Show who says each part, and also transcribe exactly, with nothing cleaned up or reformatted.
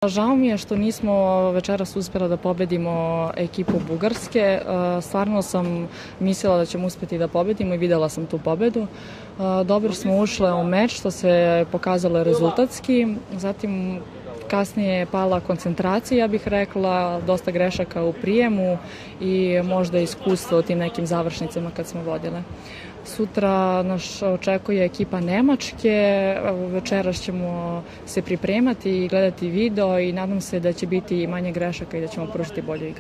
Speaker 1: Žao mi je što nismo večeras uspjela da pobedimo ekipu Bugarske. Stvarno sam mislila da ćemo uspjeti da pobedimo i videla sam tu pobedu. Dobro smo ušle u meč, što se pokazalo rezultatski. Zatim kasnije je pala koncentracija, ja bih rekla, dosta grešaka u prijemu i možda iskustvo u tim nekim završnicama kad smo vodile. Sutra nas očekuje ekipa Nemačke, večeras ćemo se pripremati i gledati video i nadam se da će biti manje grešaka i da ćemo pružiti bolju igru.